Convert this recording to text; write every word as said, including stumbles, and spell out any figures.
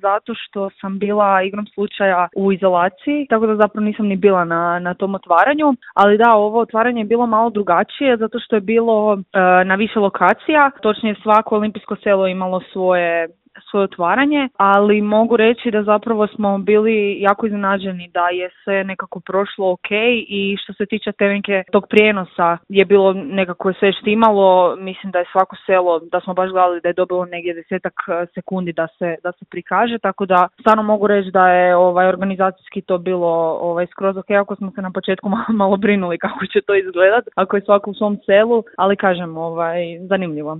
zato što sam bila igrom slučaja u izolaciji, tako da zapravo nisam ni bila na, na tom otvaranju, ali da, ovo otvaranje je bilo malo drugačije zato što je bilo e, na više lokacija, točnije svako olimpijsko selo imalo svoje svoje otvaranje, ali mogu reći da zapravo smo bili jako iznenađeni da je sve nekako prošlo ok i što se tiče tevenke tog prijenosa je bilo nekako sve štimalo, mislim da je svako selo, da smo baš gledali da je dobilo negdje desetak sekundi da se, da se prikaže, tako da stvarno mogu reći da je ovaj organizacijski to bilo ovaj skroz ok, ako smo se na početku malo, malo brinuli kako će to izgledat, ako je svako u svom selu, ali kažem, ovaj, zanimljivo.